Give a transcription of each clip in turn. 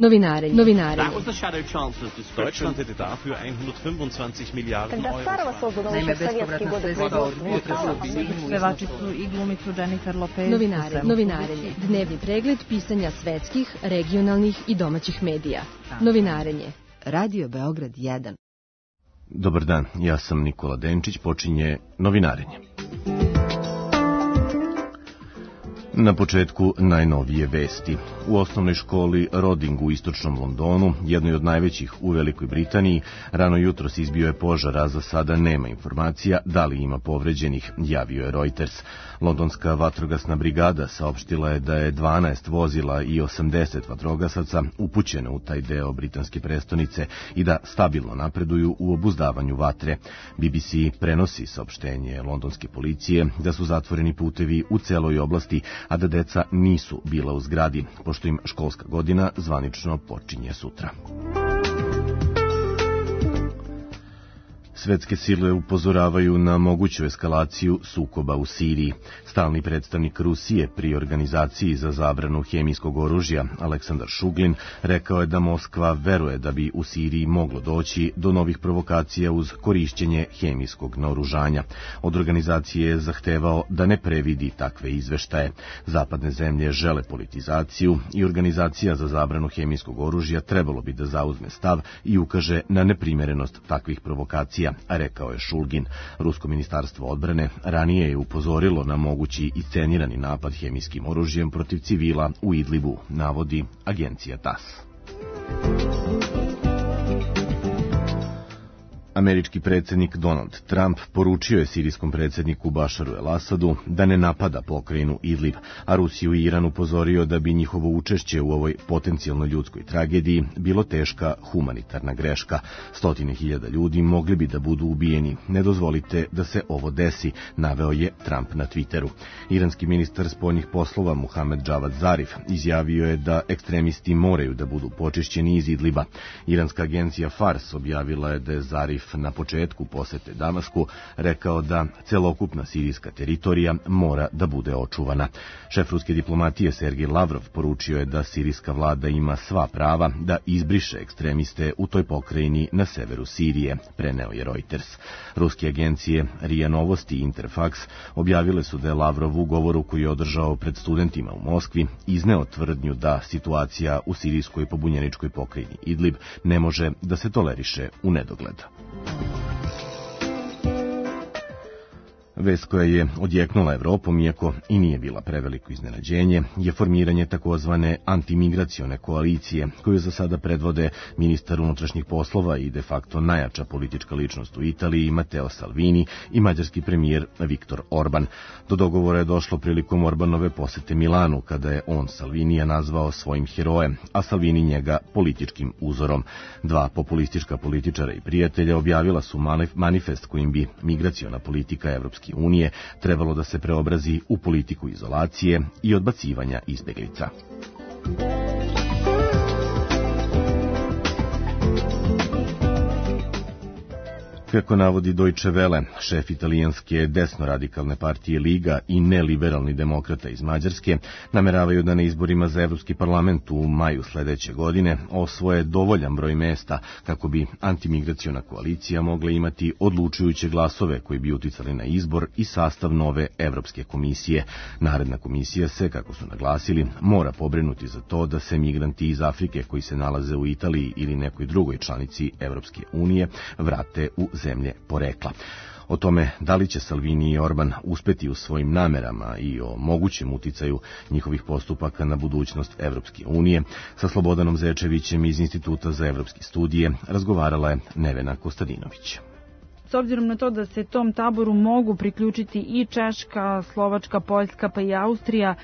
Novinarenje. Deutschland hätte dafür 125 Milijarden Euro. Naime, bespovratna sredstva od pevačicu i glumicu Jennifer Lopez. Novinarenje. Dnevni pregled pisanja svetskih, regionalnih i domaćih medija. Novinarenje. Radio Beograd 1. Dobar dan, ja sam Nikola Denčić, počinje Novinarenje. Na početku najnovije vesti. U osnovnoj školi Roding u istočnom Londonu, jednoj od najvećih u Velikoj Britaniji, rano jutros izbio je požar, a za sada nema informacija da li ima povređenih, javio je Reuters. Londonska vatrogasna brigada saopštila je da je 12 vozila i 80 vatrogasaca upućeno u taj deo britanske prestonice i da stabilno napreduju u obuzdavanju vatre. BBC prenosi saopštenje londonske policije da su zatvoreni putevi u celoj oblasti, a da deca nisu bila u zgradi, pošto im školska godina zvanično počinje sutra. Svetske sile upozoravaju na moguću eskalaciju sukoba u Siriji. Stalni predstavnik Rusije pri Organizaciji za zabranu hemijskog oružja, Aleksandar Šuglin, rekao je da Moskva veruje da bi u Siriji moglo doći do novih provokacija uz korišćenje hemijskog naoružanja. Od organizacije je zahtevao da ne previdi takve izveštaje. Zapadne zemlje žele politizaciju i Organizacija za zabranu hemijskog oružja trebalo bi da zauzme stav i ukaže na neprimerenost takvih provokacija, rekao je Šulgin. Rusko ministarstvo odbrane ranije je upozorilo na mogući iscenirani napad hemijskim oružjem protiv civila u Idlibu, navodi agencija TASS. Američki predsjednik Donald Trump poručio je sirijskom predsjedniku Bašaru el-Asadu da ne napada pokrajinu Idlib, a Rusiju i Iran upozorio da bi njihovo učešće u ovoj potencijalno ljudskoj tragediji bilo teška humanitarna greška. 100.000 ljudi mogli bi da budu ubijeni. Ne dozvolite da se ovo desi, naveo je Trump na Twitteru. Iranski ministar spoljnih poslova Muhamed Javad Zarif izjavio je da ekstremisti moraju da budu počišćeni iz Idliba. Iranska agencija Fars objavila je da je Zarif na početku posete Damasku rekao da celokupna sirijska teritorija mora da bude očuvana. Šef ruske diplomatije Sergej Lavrov poručio je da sirijska vlada ima sva prava da izbriše ekstremiste u toj pokrajini na severu Sirije, preneo je Reuters. Ruske agencije RIA Novosti i Interfax objavile su da je Lavrov u govoru koji je održao pred studentima u Moskvi izneo tvrdnju da situacija u sirijskoj pobunjeničkoj pokrajini Idlib ne može da se toleriše u nedogled. Vest koja je odjeknula Evropom, iako i nije bila preveliko iznenađenje, je formiranje takozvane antimigracione koalicije, koju za sada predvode ministar unutrašnjih poslova i de facto najjača politička ličnost u Italiji Matteo Salvini i mađarski premijer Viktor Orban. Do dogovora je došlo prilikom Orbanove posete Milanu, kada je on Salvinija nazvao svojim herojem, a Salvini njega političkim uzorom. Dva populistička političara i prijatelja objavila su manifest kojim bi migraciona politika Evropske unije trebalo da se preobrazi u politiku izolacije i odbacivanja izbeglica. Kako navodi Deutsche Welle, šef italijanske desno-radikalne partije Liga i neliberalni demokrata iz Mađarske nameravaju da na izborima za Evropski parlament u maju sledeće godine osvoje dovoljan broj mesta kako bi antimigraciona koalicija mogla imati odlučujuće glasove koji bi uticali na izbor i sastav nove Evropske komisije. Naredna komisija se, kako su naglasili, mora pobrinuti za to da se migranti iz Afrike koji se nalaze u Italiji ili nekoj drugoj članici Evropske unije vrate u zemlje porekla. O tome da li će Salvini i Orban uspeti u svojim namerama i o mogućem uticaju njihovih postupaka na budućnost Evropske unije sa Slobodanom Zečevićem iz Instituta za evropske studije razgovarala je Nevena Kostadinović. S obzirom na to da se tom taboru mogu priključiti i Češka, Slovačka, Poljska pa i Austrija,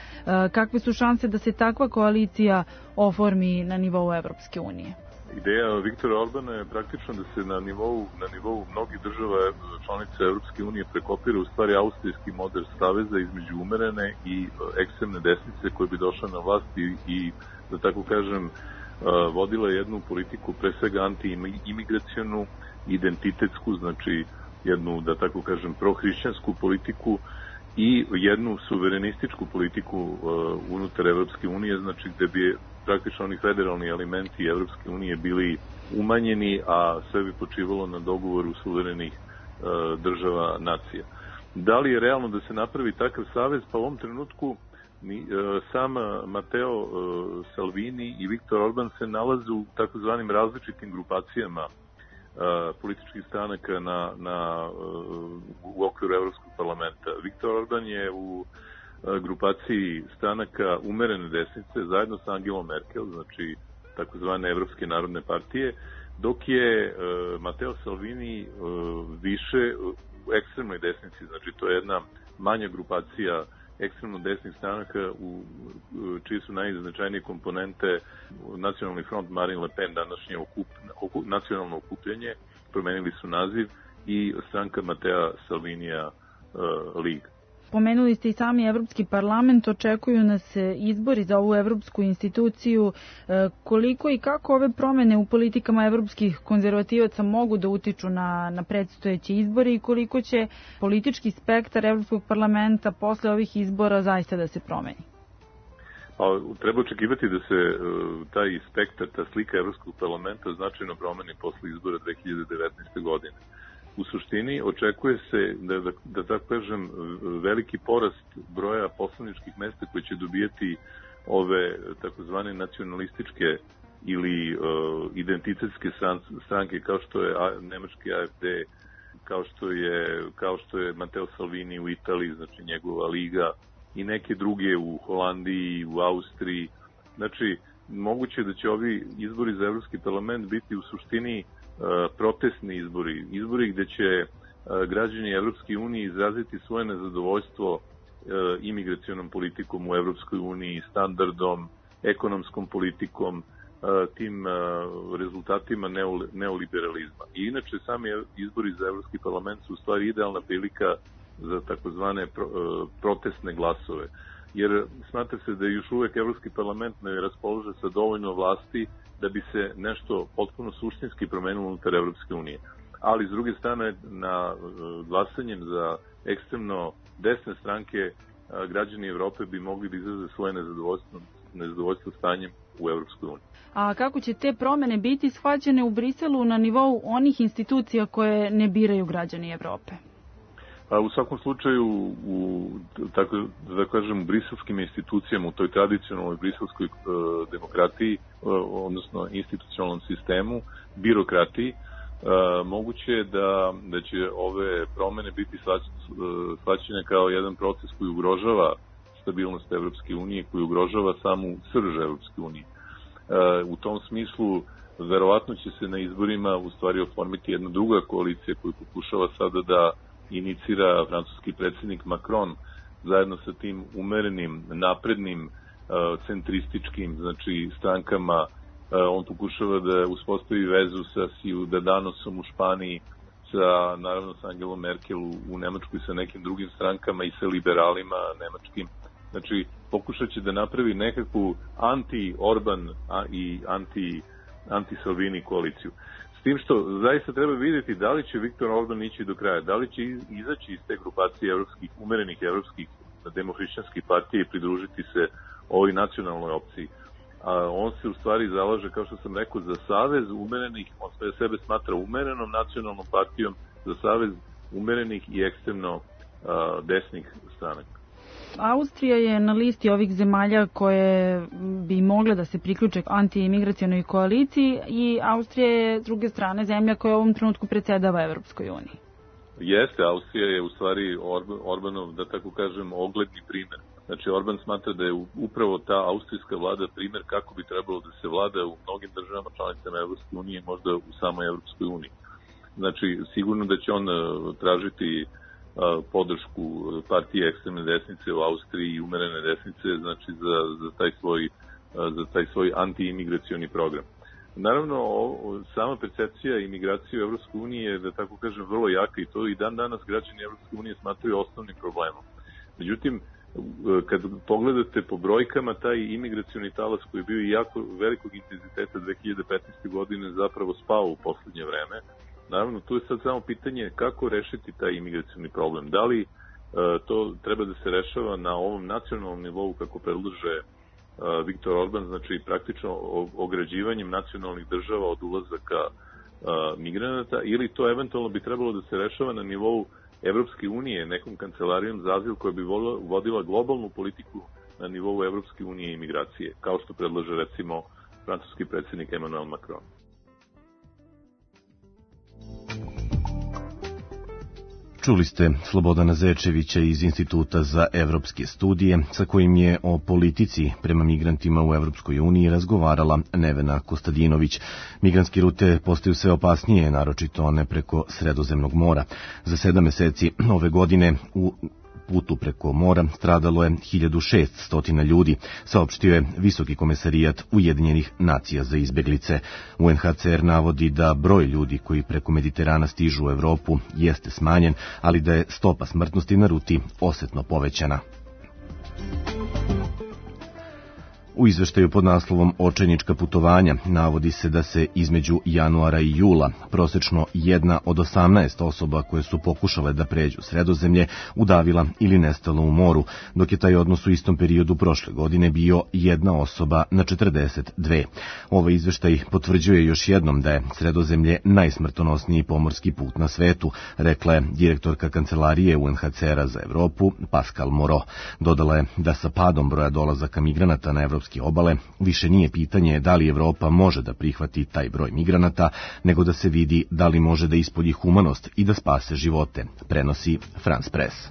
kakve su šanse da se takva koalicija oformi na nivou Evropske unije? Ideja Viktora Orbana je praktično da se na nivou mnogih država članica Evropske unije prekopira u stvari austrijski model saveza između umerene i ekstremne desnice koje bi došla na vlast i da tako kažem vodila jednu politiku pre svega anti-imigracionu, identitetsku, znači jednu da tako kažem prohrišćansku politiku i jednu suverenističku politiku unutar Evropske unije, znači gde bi praktično oni federalni elementi Evropske unije bili umanjeni, a sve bi počivalo na dogovoru suverenih država nacija. Da li je realno da se napravi takav savez? Pa u ovom trenutku sam Matteo Salvini i Viktor Orban se nalaze u takozvanim različitim grupacijama političkih stranaka u okviru Evropskog parlamenta. Viktor Orban je u grupaciji stranaka umerene desnice zajedno sa Angelom Merkel, znači takozvane Evropske narodne partije, dok je Matteo Salvini više u ekstremnoj desnici, znači to je jedna manja grupacija ekstremno desnih stranaka čije su najznačajnije komponente Nacionalni front Marine Le Pen, današnje nacionalno okupljanje, promenili su naziv, i stranka Mattea Salvinija Liga. Pomenuli ste i sami Evropski parlament, očekuju nas izbori za ovu evropsku instituciju. Koliko i kako ove promene u politikama evropskih konzervativaca mogu da utiču na predstojeće izbore i koliko će politički spektar Evropskog parlamenta posle ovih izbora zaista da se promeni? Pa, treba očekivati da se taj spektar, ta slika Evropskog parlamenta značajno promeni posle izbora 2019. godine. U suštini očekuje se da tako kažem, veliki porast broja poslaničkih mesta koje će dobijeti ove takozvane nacionalističke ili identitetske stranke, kao što je nemački AfD, kao što je Matteo Salvini u Italiji, znači njegova liga, i neke druge u Holandiji, u Austriji. Znači, moguće da će ovi izbori za Evropski parlament biti u suštini protestni izbori gde će građani Evropske unije izraziti svoje nezadovoljstvo imigracionom politikom u Evropskoj uniji, standardom, ekonomskom politikom, tim rezultatima neoliberalizma. I inače, sami izbori za Evropski parlament su u stvari idealna prilika za takozvane protestne glasove. Jer smatra se da je još uvek Evropski parlament ne raspolože sa dovoljno vlasti da bi se nešto potpuno suštinski promenilo unutar Evropske unije. Ali, s druge strane, na glasanjem za ekstremno desne stranke građani Evrope bi mogli da izraze svoje nezadovoljstvo stanjem u Evropskoj uniji. A kako će te promene biti shvaćene u Briselu na nivou onih institucija koje ne biraju građani Evrope? U svakom slučaju, da kažem, u briselskim institucijama, u toj tradicionalnoj briselskoj demokratiji, odnosno institucionalnom sistemu, birokratiji, moguće je da će ove promene biti shvaćene kao jedan proces koji ugrožava stabilnost Evropske unije, koji ugrožava samu srž Evropske unije. U tom smislu, verovatno će se na izborima u stvari oformiti jedna druga koalicija koju pokušava sada da inicira francuski predsjednik Macron zajedno sa tim umerenim, naprednim, centrističkim, znači strankama. On pokušava da uspostavi vezu sa Ciudadanosom u Španiji, naravno sa Angelom Merkel u Nemačkoj, sa nekim drugim strankama i sa liberalima nemačkim. Znači, pokušat će da napravi nekakvu anti-Orban i anti-Salvini koaliciju. S tim što zaista treba vidjeti da li će Viktor Orban ići do kraja, da li će izaći iz te grupacije umerenih evropskih demohrišćanskih partija i pridružiti se ovoj nacionalnoj opciji. On se u stvari zalaže, kao što sam rekao, za savez umerenih, on sebe smatra umerenom nacionalnom partijom, za savez umerenih i ekstremno desnih stranaka. Austrija je na listi ovih zemalja koje bi mogle da se priključe anti-imigracionoj koaliciji i Austrija je, s druge strane, zemlja koja u ovom trenutku predsjedava Evropskoj uniji. Jeste, Austrija je u stvari Orbanov, da tako kažem, ogledni primer. Znači, Orban smatra da je upravo ta austrijska vlada primer kako bi trebalo da se vlada u mnogim državama članicama Evropske unije, možda u samoj Evropskoj uniji. Znači, sigurno da će on tražiti podršku partije ekstremne desnice u Austriji i umerene desnice, znači za taj svoj anti-imigracioni program. Naravno, sama percepcija imigracije u Evropskoj uniji je, da tako kažem, vrlo jaka i to i dan danas građani Evropske unije smatraju osnovnim problemom. Međutim, kad pogledate po brojkama, taj imigracioni talas koji je bio jako velikog intenziteta 2015. godine zapravo spao u poslednje vreme. Naravno, tu je sad samo pitanje kako rešiti taj imigracioni problem. Da li to treba da se rešava na ovom nacionalnom nivou kako predlaže Viktor Orban, znači praktično ograđivanjem nacionalnih država od ulazaka migranata, ili to eventualno bi trebalo da se rešava na nivou Evropske unije, nekom kancelarijom za azil koja bi vodila globalnu politiku na nivou Evropske unije i migracije, kao što predlaže recimo francuski predsjednik Emmanuel Macron. Čuli ste Slobodana Zečevića iz Instituta za evropske studije, sa kojim je o politici prema migrantima u Evropskoj uniji razgovarala Nevena Kostadinović. Migrantske rute postaju sve opasnije, naročito one preko Sredozemnog mora. Za 7 meseci ove godine u putu preko mora stradalo je 1600 ljudi, saopštio je Visoki komesarijat Ujedinjenih nacija za izbeglice. UNHCR navodi da broj ljudi koji preko Mediterana stižu u Evropu jeste smanjen, ali da je stopa smrtnosti na ruti osetno povećana. U izveštaju pod naslovom Očajnička putovanja navodi se da se između januara i jula prosečno 1 od 18 osoba koje su pokušale da pređu Sredozemlje udavila ili nestala u moru, dok je taj odnos u istom periodu prošle godine bio 1 osoba na 42. Ovaj izveštaj potvrđuje još jednom da je Sredozemlje najsmrtonosniji pomorski put na svetu, rekla je direktorka kancelarije UNHCR-a za Evropu Pascal Moreau. Dodala je da sa padom broja dolazaka migranata na evropske obale više nije pitanje da li Evropa može da prihvati taj broj migranata, nego da se vidi da li može da ispolji humanost i da spase živote, prenosi France Press.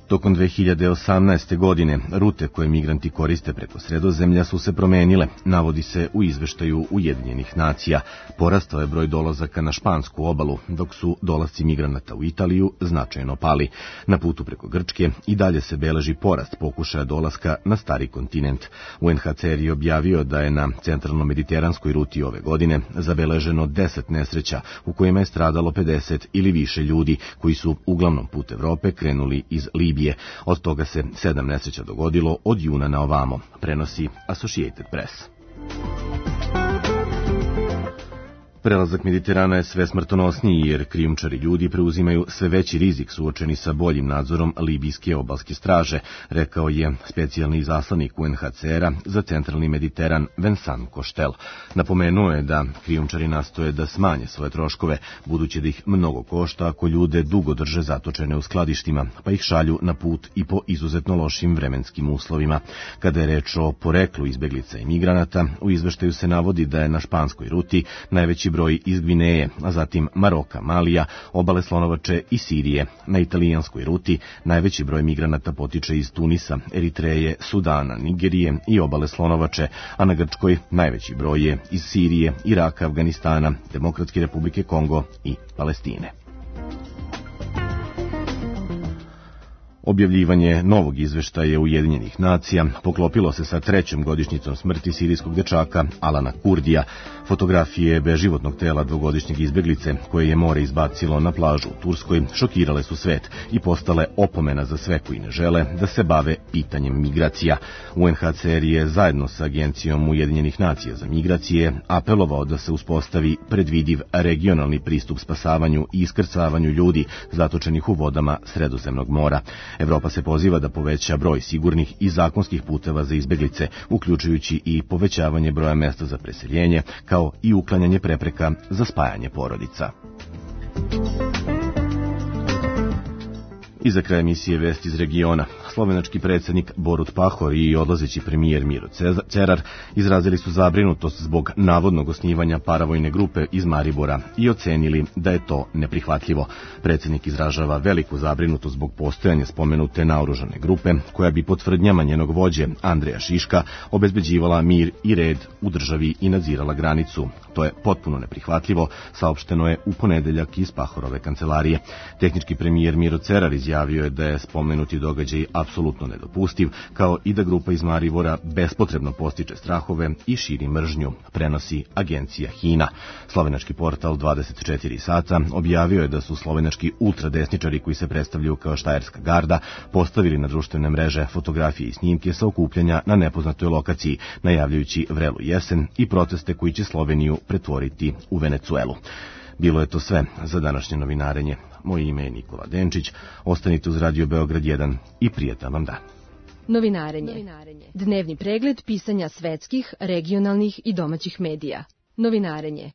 Tokom 2018. godine rute koje migranti koriste preko Sredozemlja su se promenile, navodi se u izveštaju Ujedinjenih nacija. Porastao je broj dolazaka na špansku obalu, dok su dolasci migranata u Italiju značajno pali. Na putu preko Grčke i dalje se beleži porast pokušaja dolaska na stari kontinent. UNHCR je objavio da je na centralno-mediteranskoj ruti ove godine zabeleženo 10 nesreća u kojima je stradalo 50 ili više ljudi koji su uglavnom put Evrope krenuli iz Libije. Od toga se 7 nesreća dogodilo od juna na ovamo, prenosi Associated Press. Prelazak Mediterana je sve smrtonosniji jer krijumčari ljudi preuzimaju sve veći rizik suočeni sa boljim nadzorom libijske obalske straže, rekao je specijalni izaslanik UNHCR-a za centralni Mediteran Vincent Cochetel. Napomenuo je da krijumčari nastoje da smanje svoje troškove, budući da ih mnogo košta ako ljude dugo drže zatočene u skladištima, pa ih šalju na put i po izuzetno lošim vremenskim uslovima. Kada je reč o poreklu izbeglica i migranata, u izveštaju se navodi da je na španskoj ruti najveći broj iz Gvineje, a zatim Maroka, Malija, obale Slonovače i Sirije. Na italijanskoj ruti najveći broj migranata potiče iz Tunisa, Eritreje, Sudana, Nigerije i obale Slonovače, a na Grčkoj najveći broj je iz Sirije, Iraka, Afganistana, Demokratske republike Kongo i Palestine. Objavljivanje novog izveštaja Ujedinjenih nacija poklopilo se sa 3. godišnjicom smrti sirijskog dečaka Alana Kurdija. Fotografije beživotnog tela 2-godišnjeg izbeglice koje je more izbacilo na plažu u Turskoj šokirale su svet i postale opomena za sve koji ne žele da se bave pitanjem migracija. UNHCR je zajedno sa Agencijom Ujedinjenih nacija za migracije apelovao da se uspostavi predvidiv regionalni pristup spasavanju i iskrcavanju ljudi zatočenih u vodama Sredozemnog mora. Evropa se poziva da poveća broj sigurnih i zakonskih puteva za izbeglice, uključujući i povećavanje broja mesta za preseljenje, kao i uklanjanje prepreka za spajanje porodica. I za kraj emisije Vesti iz regiona. Slovenački predsjednik Borut Pahor i odlazeći premijer Miro Cerar izrazili su zabrinutost zbog navodnog osnivanja paravojne grupe iz Maribora i ocenili da je to neprihvatljivo. Predsjednik izražava veliku zabrinutost zbog postojanja spomenute naoružane grupe, koja bi po tvrdnjama njenog vođe Andreja Šiška obezbeđivala mir i red u državi i nadzirala granicu. To je potpuno neprihvatljivo, saopšteno je u ponedeljak iz Pahorove kancelarije. Tehnički premijer Miro Cerar izjavio je da je spomenuti događaj apsolutno nedopustiv, kao i da grupa iz Maribora bespotrebno postiče strahove i širi mržnju, prenosi agencija HINA. Slovenački portal 24 sata objavio je da su slovenački ultradesničari koji se predstavljaju kao Štajerska garda postavili na društvene mreže fotografije i snimke sa okupljanja na nepoznatoj lokaciji, najavljujući vrelu jesen i proteste koji će Sloveniju pretvoriti u Venecuelu. Bilo je to sve za današnje novinarenje. Moje ime je Nikola Denčić. Ostanite uz Radio Beograd 1 i prijatan vam dan. Novinarenje. Dnevni pregled pisanja svetskih, regionalnih i domaćih medija. Novinarenje.